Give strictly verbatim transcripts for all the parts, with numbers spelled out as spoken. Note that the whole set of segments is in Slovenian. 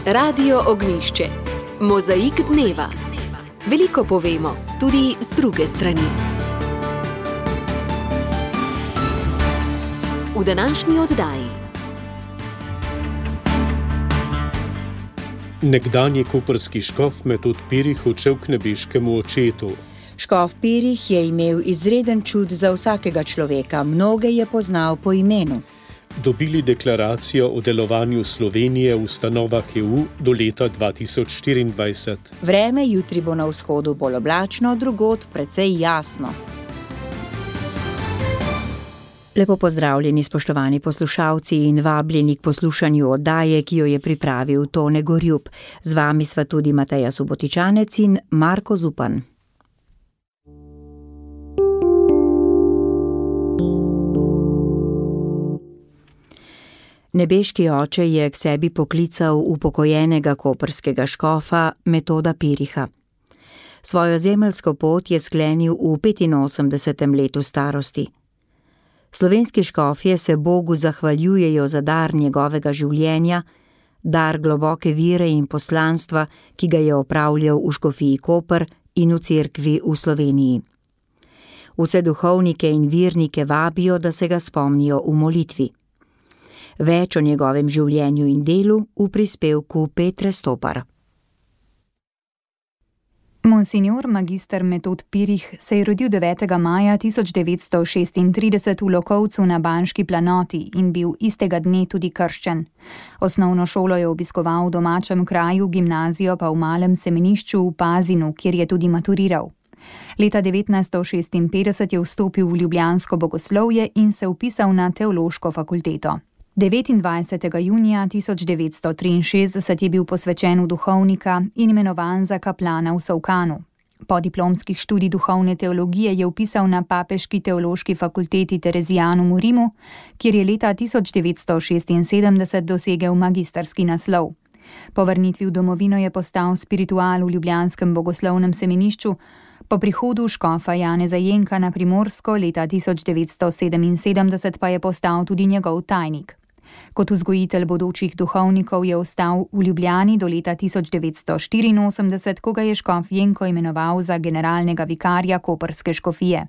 Radio Ognjišče. Mozaik dneva. Veliko povemo, tudi z druge strani. V današnji oddaji. Nekdanji koprski škof Metod Pirih odšel k nebeškemu očetu. Škof Pirih je imel izreden čut za vsakega človeka, mnoge je poznal po imenu. Dobili deklaracijo o delovanju Slovenije v ustanovah E U do leta dva tisoč štiriindvajset. Vreme jutri bo na vzhodu bolj oblačno, drugod precej jasno. Lepo pozdravljeni, spoštovani poslušalci, in vabljeni k poslušanju oddaje, ki jo je pripravil Tone Gorjup. Z vami sva tudi Mateja Subotičanec in Marko Zupan. Nebeški oče je k sebi poklical upokojenega koprskega škofa Metoda Piriha. Svojo zemeljsko pot je sklenil v petinosemdesetem letu starosti. Slovenski škofje se Bogu zahvaljujejo za dar njegovega življenja, dar globoke vire in poslanstva, ki ga je opravljal v škofiji Koper in v cerkvi v Sloveniji. Vse duhovnike in virnike vabijo, da se ga spomnijo v molitvi. Več o njegovem življenju in delu v prispevku Petre Stopar. Monsignor magister Metod Pirih se je rodil devetega maja tisoč devetsto šestintrideset v Lokovcu na Banški planoti in bil istega dne tudi krščen. Osnovno šolo je obiskoval v domačem kraju, gimnazijo pa v malem semenišču v Pazinu, kjer je tudi maturiral. Leta devetnajststo šestinpetdeset je vstopil v ljubljansko bogoslovje in se vpisal na teološko fakulteto. devetindvajsetega junija tisoč devetsto triinšestdeset je bil posvečen v duhovnika in imenovan za kaplana v Solkanu. Po diplomskih študij duhovne teologije je vpisal na Papeški teološki fakulteti Terezijanum v Rimu, kjer je leta tisoč devetsto šestinsedemdeset dosegel magisterski naslov. Po vrnitvi v domovino je postal spiritual v ljubljanskem bogoslovnem semenišču, po prihodu škofa Janeza Jenka na Primorsko leta tisoč devetsto sedeminsedemdeset pa je postal tudi njegov tajnik. Kot vzgojitelj bodočih duhovnikov je ostal v Ljubljani do leta tisoč devetsto štiriinosemdeset, ko ga je škof Jenko imenoval za generalnega vikarja koprske škofije.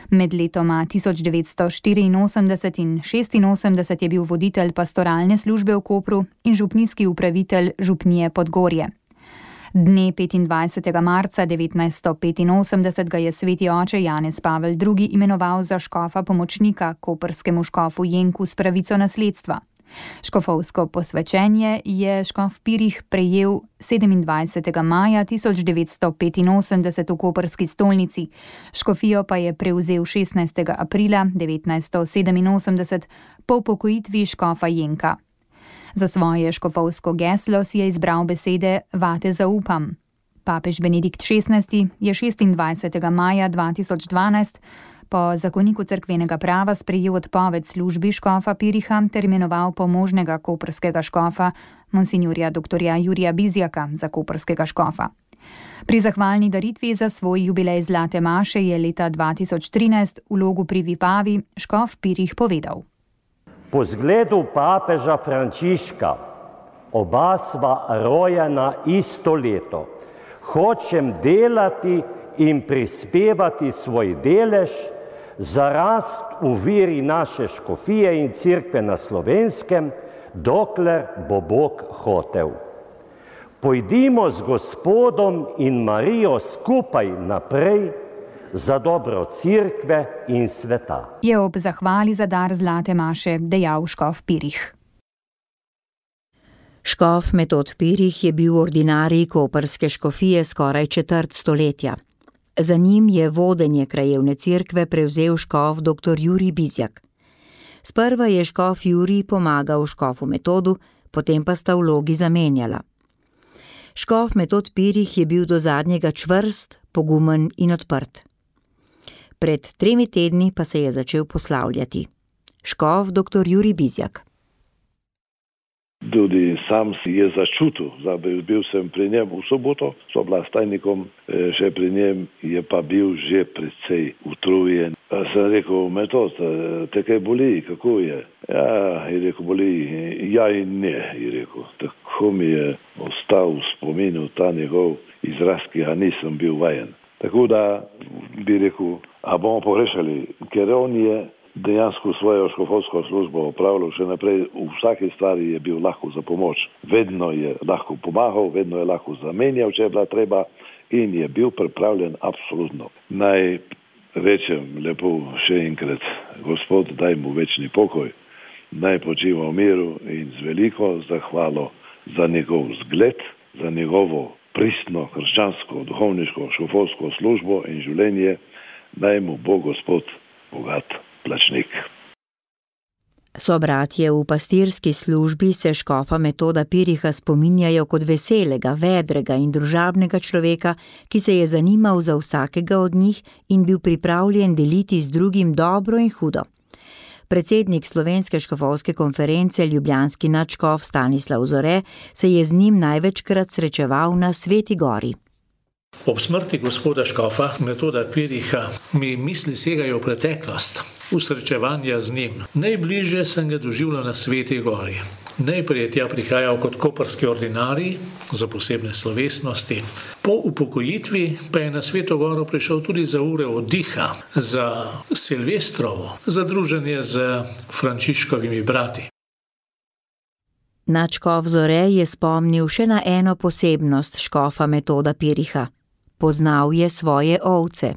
Med letoma tisoč devetsto štiriinosemdeset in šestinosemdeset je bil voditelj pastoralne službe v Kopru in župnijski upravitelj župnije Podgorje. Dne petindvajsetega marca devetnajststo petinosemdeset ga je sveti oče Janez Pavel drugi imenoval za škofa pomočnika koprskemu škofu Jenku s pravico nasledstva. Škofovsko posvečenje je škof Pirih prejel sedemindvajsetega maja tisoč devetsto petinosemdeset v koprski stolnici, škofijo pa je prevzel šestnajstega aprila devetnajststo sedeminosemdeset po upokojitvi škofa Jenka. Za svoje škofovsko geslo si je izbral besede Vate zaupam. Papež Benedikt šestnajsti je šestindvajsetega maja dva tisoč dvanajst po zakoniku cerkvenega prava sprejel odpoved službi škofa Piriha ter imenoval pomožnega koprskega škofa monsinjorja doktorja Jurija Bizjaka za koprskega škofa. Pri zahvalni daritvi za svoj jubilej Zlate maše je leta dva tisoč trinajst v Logu pri Vipavi škof Pirih povedal. Po zgledu papeža Frančiška, oba sva rojena isto leto. Hočem delati in prispevati svoj delež za rast v viri naše škofije in cerkve na Slovenskem, dokler bo Bog hotel. Pojdimo z Gospodom in Marijo skupaj naprej za dobro cerkve in sveta. Je ob zahvali za dar Zlate maše dejal škof Pirih. Škof Metod Pirih je bil ordinarij koprske škofije skoraj četrt stoletja. Za njim je vodenje krajevne cerkve prevzel škof doktor Jurij Bizjak. Sprva je škof Jurij pomagal škofu Metodu, potem pa sta vlogi zamenjala. Škof Metod Pirih je bil do zadnjega čvrst, pogumen in odprt. Pred tremi tedni pa se je začel poslavljati. Škof doktor Jurij Bizjak. Tudi sam si je začutil, bil sem pri njem v soboto, so bila s tajnikom še pri njem, je pa bil že precej utrujen. Sem rekel, Metod, te kaj boli, kako je? Ja, je rekel, boli, ja in ne, je rekel. Tako mi je ostal v spominu ta njegov izraz, ki ga nisem bil vajen. Tako da bi rekel, a bomo pogrešali, ker on je dejansko svojo škofovsko službo opravljal še naprej, v vsaki stvari je bil lahko za pomoč. Vedno je lahko pomagal, vedno je lahko zamenjal, če je bila treba, in je bil pripravljen absolutno. Naj rečem lepo še enkrat, Gospod, daj mu večni pokoj, naj počiva v miru in z veliko zahvalo za njegov zgled, za njegovo pristno krščansko, duhovniško, škofovsko službo in življenje, naj mu bo Gospod bogat plačnik. Sobratje v pastirski službi se škofa Metoda Piriha spominjajo kot veselega, vedrega in družabnega človeka, ki se je zanimal za vsakega od njih in bil pripravljen deliti z drugim dobro in hudo. Predsednik Slovenske škofovske konference, ljubljanski nadškof Stanislav Zore, se je z njim največkrat srečeval na Sveti gori. Ob smrti gospoda škofa Metoda Piriha mi misli segajo v preteklost, v srečevanja z njim. Najbližje sem ga doživljal na Sveti gori. Najprej je tja prihajal kot koprski ordinarij za posebne slovesnosti. Po upokojitvi pa je na Sveto goro prišel tudi za ure oddiha, za Silvestrovo, za druženje z Frančiškovimi brati. Nadškof Zore je spomnil še na eno posebnost škofa Metoda Piriha. Poznal je svoje ovce.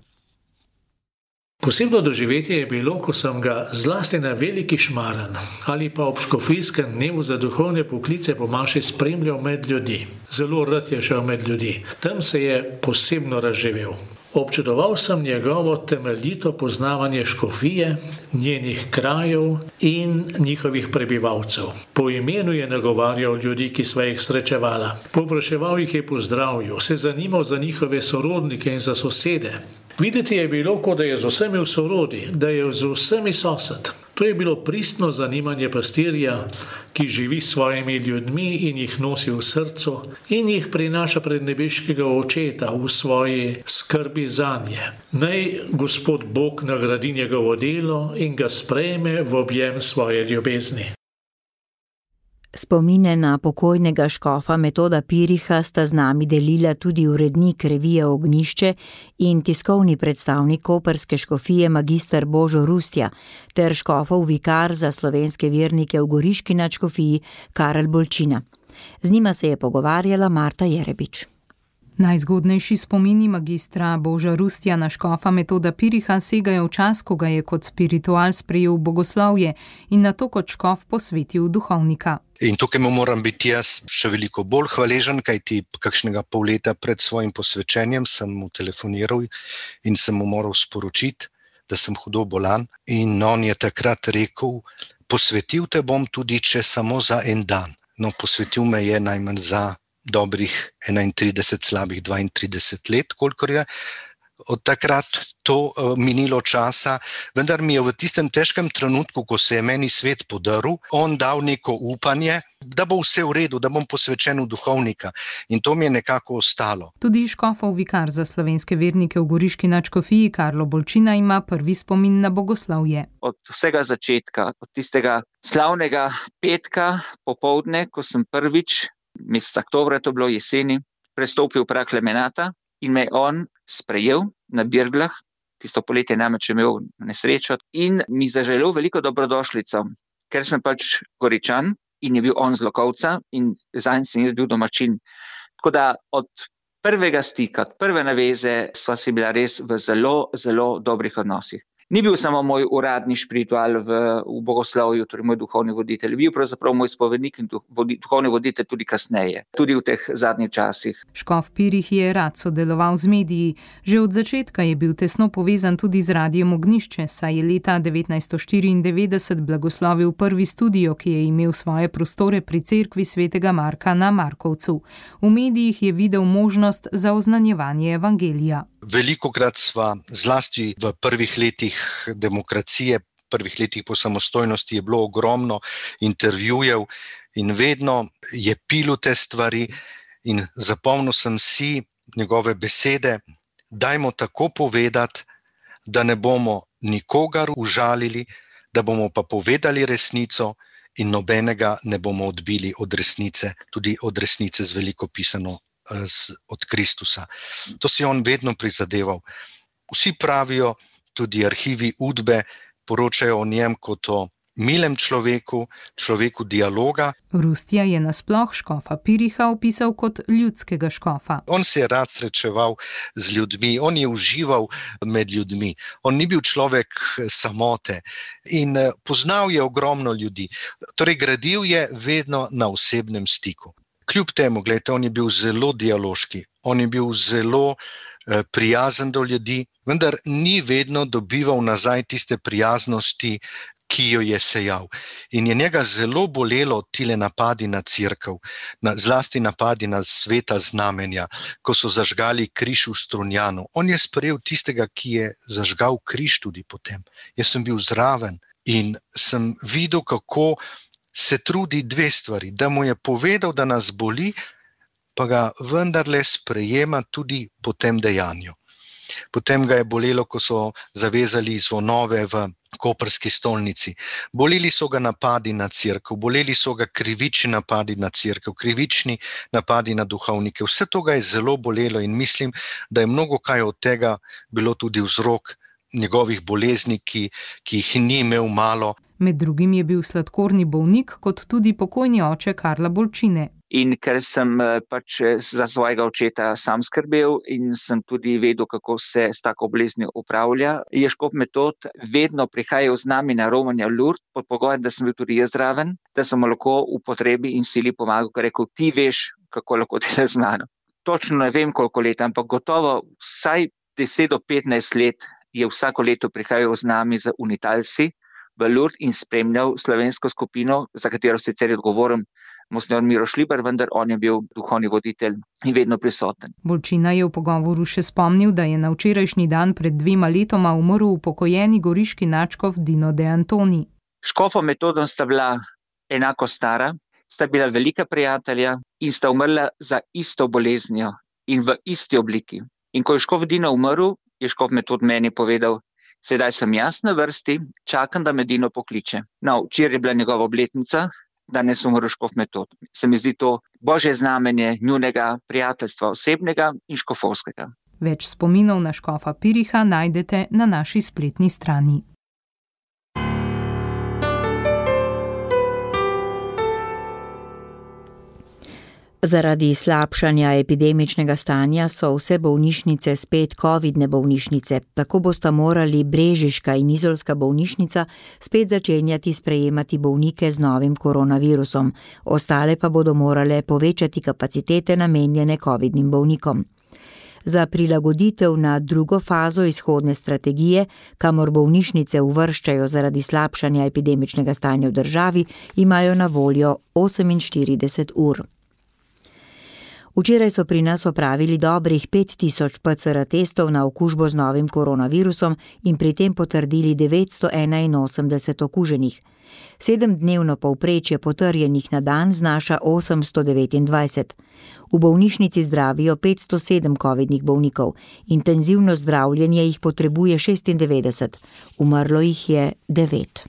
Posebno doživetje je bilo, ko sem ga zlasti na Veliki Šmaran ali pa ob škofijskem dnevu za duhovne poklice po maši spremljal med ljudi. Zelo rad je šel med ljudi. Tam se je posebno razživel. Občudoval sem njegovo temeljito poznavanje škofije, njenih krajev in njihovih prebivalcev. Po imenu je nagovarjal ljudi, ki sva jih srečevala. Povpraševal jih je po zdravju, se zanimal za njihove sorodnike in za sosede. Videti je bilo, kot da je z vsemi v sorodi, da je z vsemi sosed. To je bilo pristno zanimanje pastirja, ki živi s svojimi ljudmi in jih nosi v srcu in jih prinaša pred nebeškega očeta v svoji skrbi zanje. Naj Gospod Bog nagradi njegovo delo in ga sprejme v objem svoje ljubezni. Spomine na pokojnega škofa Metoda Piriha sta z nami delila tudi urednik revije Ognjišče in tiskovni predstavnik koprske škofije magister Božo Rustja ter škofov vikar za slovenske vernike v goriški nadškofiji Karel Bolčina. Z njima se je pogovarjala Marta Jerebič. Najzgodnejši spomini magistra Boža Rustja na škofa Metoda Piriha segajo v čas, ko ga je kot spiritual sprejel v bogoslovje in nato kot škof posvetil duhovnika. In tukaj mu moram biti jaz še veliko bolj hvaležen, kajti kakšnega pol leta pred svojim posvečenjem sem mu telefoniral in sem mu moral sporočiti, da sem hudo bolan. In on je takrat rekel, posvetil te bom tudi, če samo za en dan. No, posvetil me je najmanj za dobrih enaintrideset, slabih dvaintrideset let, kolikor je od takrat to uh, minilo časa, vendar mi je v tistem težkem trenutku, ko se je meni svet podaril, on dal neko upanje, da bo vse v redu, da bom posvečen v duhovnika, in to mi je nekako ostalo. Tudi škofov vikar za slovenske vernike v goriški nadškofiji Karlo Bolčina ima prvi spomin na bogoslovje. Od vsega začetka, od tistega slavnega petka popoldne, ko sem prvič, mesec oktobra to bilo jeseni, prestopil prag Klemenata in me on sprejel na Birglah, tisto poletje namreč imel nesrečo in mi zaželel veliko dobrodošlico, ker sem pač Goričan in je bil on z Lokovca in zanj sem jaz bil domačin. Tako da od prvega stika, od prve naveze sva si bila res v zelo, zelo dobrih odnosih. Ni bil samo moj uradni špiritual v, v bogoslovju, torej moj duhovni voditelj, bil pravzaprav moj spovednik in duhovni voditelj tudi kasneje, tudi v teh zadnjih časih. Škof Pirih je rad sodeloval z mediji. Že od začetka je bil tesno povezan tudi z radijem Ognjišče, saj je leta devetnajststo štiriindevetdeset blagoslovil prvi studio, ki je imel svoje prostore pri cerkvi svetega Marka na Markovcu. V medijih je videl možnost za oznanjevanje evangelija. Velikokrat sva zlasti v prvih letih demokracije prvih letih po samostojnosti je bilo ogromno intervjujev in vedno je pilil te stvari in zapomnil sem si njegove besede, dajmo tako povedati, da ne bomo nikogar užalili, da bomo pa povedali resnico in nobenega ne bomo odbili od resnice, tudi od resnice z veliko pisano z, od Kristusa. To si on vedno prizadeval. Vsi pravijo, tudi arhivi Udbe poročajo o njem kot o milem človeku, človeku dialoga. Rustja je nasploh škofa Piriha opisal kot ljudskega škofa. On se je rad srečeval z ljudmi, on je užival med ljudmi. On ni bil človek samote in poznal je ogromno ljudi. Torej, gradil je vedno na osebnem stiku. Kljub temu, gledajte, on je bil zelo dialoški, on je bil zelo eh, prijazen do ljudi, vendar ni vedno dobival nazaj tiste prijaznosti, ki jo je sejal. In je njega zelo bolelo tile napadi na cerkev, na, zlasti napadi na sveta znamenja, ko so zažgali križ v Strunjanu. On je sprejel tistega, ki je zažgal križ tudi potem. Jaz sem bil zraven in sem videl, kako se trudi dve stvari, da mu je povedal, da nas boli, pa ga vendarle sprejema tudi po tem dejanju. Potem ga je bolelo, ko so zavezali zvonove v koprski stolnici. Boleli so ga napadi na cerkev, boleli so ga krivični napadi na cerkev, krivični napadi na duhovnike. Vse to ga je zelo bolelo in mislim, da je mnogo kaj od tega bilo tudi vzrok njegovih bolezni, ki, ki jih ni imel malo. Med drugim je bil sladkorni bolnik, kot tudi pokojni oče Karla Bolčine. In ker sem pač za svojega očeta sam skrbel in sem tudi vedel, kako se s tako boleznijo upravlja, je škof Metod vedno prihajal z nami na romanje v Lourdes, pod pogojem, da sem bil tudi jaz zraven, da sem mu lahko v potrebi in sili pomagal, ker rekel, ti veš, kako lahko delaš z mano. Točno ne vem, koliko let, ampak gotovo vsaj deset do petnajst let je vsako leto prihajal z nami za Unitalsi v Lourdes in spremljal slovensko skupino, za katero sicer je odgovoren Monsignor Miro Šlibar, vendar on je bil duhovni voditelj in vedno prisoten. Bolčina je v pogovoru še spomnil, da je na včerajšnji dan pred dvema letoma umrl upokojeni goriški nadškof Dino de Antoni. Škofom Metodom sta bila enako stara, sta bila velika prijatelja in sta umrla za isto boleznijo in v isti obliki. In ko je škof Dino umrl, je škof Metod meni povedal, sedaj sem jaz na vrsti, čakam, da me Dino pokliče. No, včeraj je bila njegova obletnica, danes umrl škof Metod. Se mi zdi to božje znamenje njunega prijateljstva osebnega in škofovskega. Več spominov na škofa Piriha najdete na naši spletni strani. Zaradi slabšanja epidemičnega stanja so vse bolnišnice spet covidne bolnišnice, tako bosta morali brežiška in izolska bolnišnica spet začenjati sprejemati bolnike z novim koronavirusom, ostale pa bodo morale povečati kapacitete namenjene covidnim bolnikom. Za prilagoditev na drugo fazo izhodne strategije, kamor bolnišnice uvrščajo zaradi slabšanja epidemičnega stanja v državi, imajo na voljo oseminštirideset ur. Včeraj so pri nas opravili dobrih pet tisoč P C R testov na okužbo z novim koronavirusom in pri tem potrdili devetsto enainosemdeset okuženih. Sedemdnevno povprečje potrjenih na dan znaša osemsto devetindvajset. V bolnišnici zdravijo petsto sedem covidnih bolnikov, intenzivno zdravljenje jih potrebuje šestindevetdeset, umrlo jih je devet.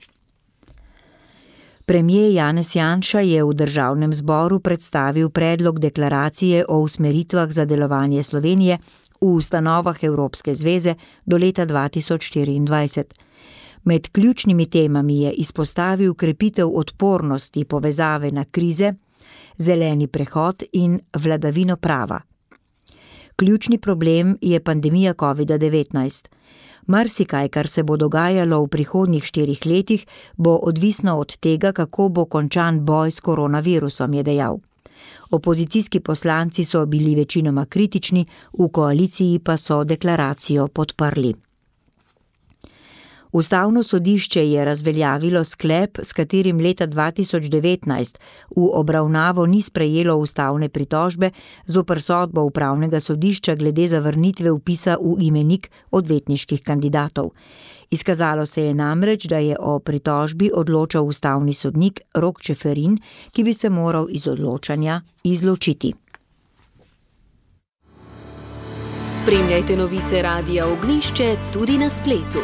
Premier Janez Janša je v državnem zboru predstavil predlog deklaracije o usmeritvah za delovanje Slovenije v ustanovah Evropske zveze do leta dva tisoč štiriindvajset. Med ključnimi temami je izpostavil krepitev odpornosti povezave na krize, zeleni prehod in vladavino prava. Ključni problem je pandemija covida devetnajst. Marsikaj, kar se bo dogajalo v prihodnjih štirih letih, bo odvisno od tega, kako bo končan boj s koronavirusom, je dejal. Opozicijski poslanci so bili večinoma kritični, v koaliciji pa so deklaracijo podprli. Ustavno sodišče je razveljavilo sklep, s katerim leta dva tisoč devetnajst v obravnavo ni sprejelo ustavne pritožbe zoper sodbo upravnega sodišča glede zavrnitve vpisa v imenik odvetniških kandidatov. Izkazalo se je namreč, da je o pritožbi odločal ustavni sodnik Rok Čeferin, ki bi se moral iz odločanja izločiti. Spremljajte novice Radia Ognjišče tudi na spletu.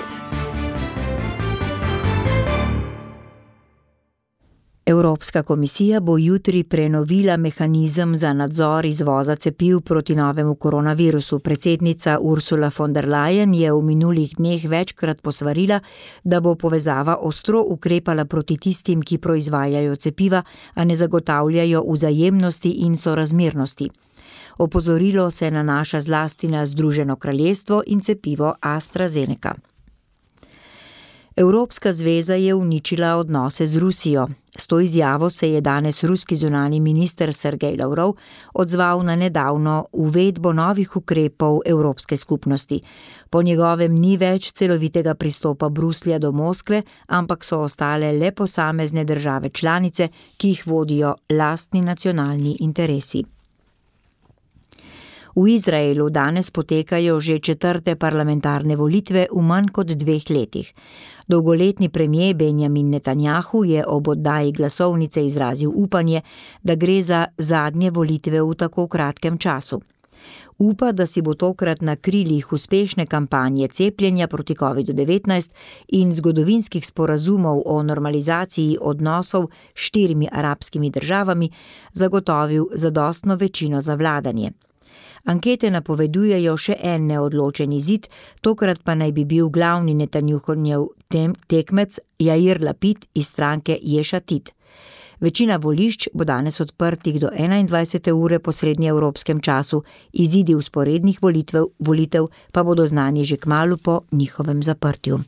Evropska komisija bo jutri prenovila mehanizem za nadzor izvoza cepiv proti novemu koronavirusu. Predsednica Ursula von der Leyen je v minulih dneh večkrat posvarila, da bo povezava ostro ukrepala proti tistim, ki proizvajajo cepiva, a ne zagotavljajo vzajemnosti in sorazmernosti. Opozorilo se nanaša zlasti na Združeno kraljestvo in cepivo AstraZeneca. Evropska zveza je uničila odnose z Rusijo. S to izjavo se je danes ruski zunanji minister Sergej Lavrov odzval na nedavno uvedbo novih ukrepov Evropske skupnosti. Po njegovem ni več celovitega pristopa Bruslja do Moskve, ampak so ostale le posamezne države članice, ki jih vodijo lastni nacionalni interesi. V Izraelu danes potekajo že četrte parlamentarne volitve v manj kot dveh letih. Dolgoletni premier Benjamin Netanjahu je ob oddaji glasovnice izrazil upanje, da gre za zadnje volitve v tako kratkem času. Upa, da si bo tokrat na krilih uspešne kampanje cepljenja proti kovidu devetnajst in zgodovinskih sporazumov o normalizaciji odnosov s štirimi arabskimi državami zagotovil zadostno večino za vladanje. Ankete napovedujejo še en neodločen izid, tokrat pa naj bi bil glavni Netanjahujev tekmec Jair Lapid iz stranke Ješ Atid. Večina volišč bo danes odprtih do enaindvajsete ure po srednjeevropskem času, izidi vzporednih volitev, volitev pa bodo znani že kmalu po njihovem zaprtju.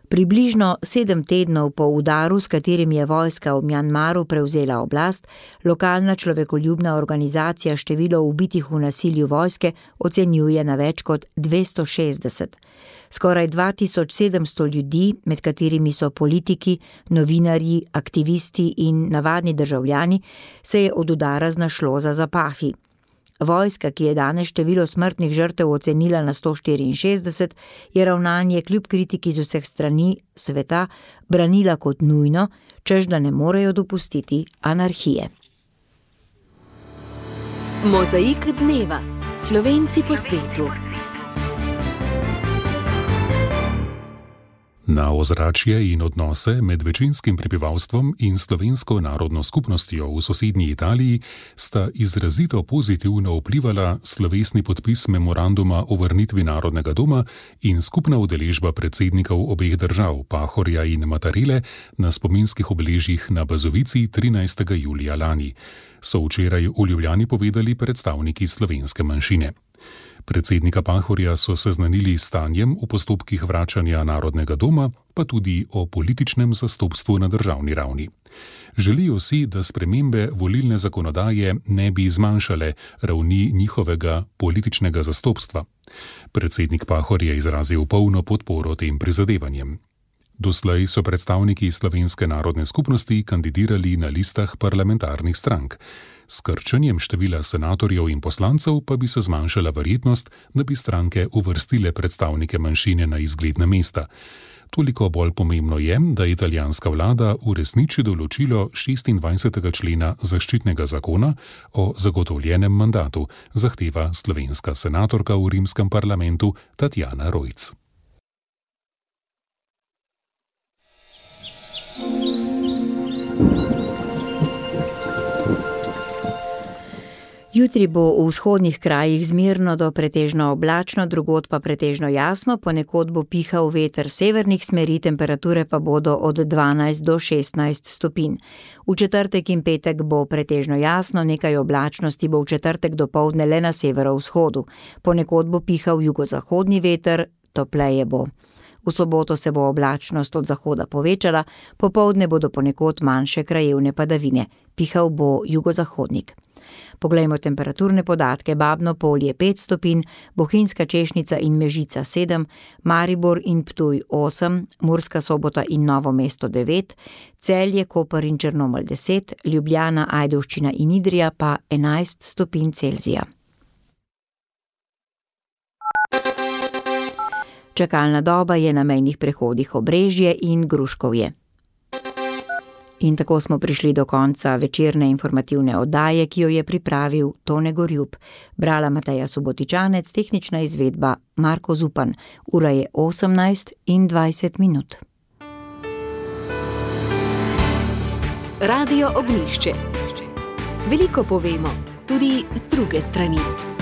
Približno sedem tednov po udaru, s katerim je vojska v Mjanmaru prevzela oblast, lokalna človekoljubna organizacija število ubitih v nasilju vojske ocenjuje na več kot dvesto šestdeset. Skoraj dva tisoč sedemsto ljudi, med katerimi so politiki, novinarji, aktivisti in navadni državljani, se je od udara znašlo za zapahi. Vojska, ki je danes število smrtnih žrtev ocenila na sto štiriinšestdeset, je ravnanje kljub kritiki z vseh strani sveta branila kot nujno, češ da ne morejo dopustiti anarhije. Mozaik dneva. Slovenci po svetu. Na ozračje in odnose med večinskim prebivalstvom in slovensko narodno skupnostjo v sosednji Italiji sta izrazito pozitivno vplivala slovesni podpis memoranduma o vrnitvi Narodnega doma in skupna udeležba predsednikov obeh držav, Pahorja in Mattarelle, na spominskih obeležjih na Bazovici trinajstega julija lani, so včeraj v Ljubljani povedali predstavniki slovenske manjšine. Predsednika Pahorja so seznanili s stanjem v postopkih vračanja Narodnega doma, pa tudi o političnem zastopstvu na državni ravni. Želijo si, da spremembe volilne zakonodaje ne bi zmanjšale ravni njihovega političnega zastopstva. Predsednik Pahor je izrazil polno podporo tem prizadevanjem. Doslej so predstavniki slovenske narodne skupnosti kandidirali na listah parlamentarnih strank. S krčenjem števila senatorjev in poslancev pa bi se zmanjšala verjetnost, da bi stranke uvrstile predstavnike manjšine na izgledna mesta. Toliko bolj pomembno je, da italijanska vlada uresniči določilo šestindvajsetega člena zaščitnega zakona o zagotovljenem mandatu, zahteva slovenska senatorka v rimskem parlamentu Tatjana Rojc. Jutri bo v vzhodnih krajih zmerno do pretežno oblačno, drugod pa pretežno jasno, ponekod bo pihal veter severnih smeri, temperature pa bodo od dvanajst do šestnajst stopinj. V četrtek in petek bo pretežno jasno, nekaj oblačnosti bo v četrtek dopoldne le na severovzhodu. Ponekod bo pihal jugozahodni veter, topleje bo. V soboto se bo oblačnost od zahoda povečala, popoldne bodo ponekod manjše krajevne padavine. Pihal bo jugozahodnik. Poglejmo temperaturne podatke. Babno Polje pet stopinj, Bohinjska Češnica in Mežica sedem, Maribor in Ptuj osem, Murska Sobota in Novo mesto devet, Celje, Koper in Črnomelj deset, Ljubljana, Ajdovščina in Idrija pa enajst stopinj Celzija. Čakalna doba je na mejnih prehodih Obrežje in Gruškovje. In tako smo prišli do konca večerne informativne oddaje, ki jo je pripravil Tone Gorjup. Brala Mateja Subotičanec, tehnična izvedba Marko Zupan. Ura je osemnajst in dvajset minut. Radio Ognjišče. Veliko povemo, tudi z druge strani.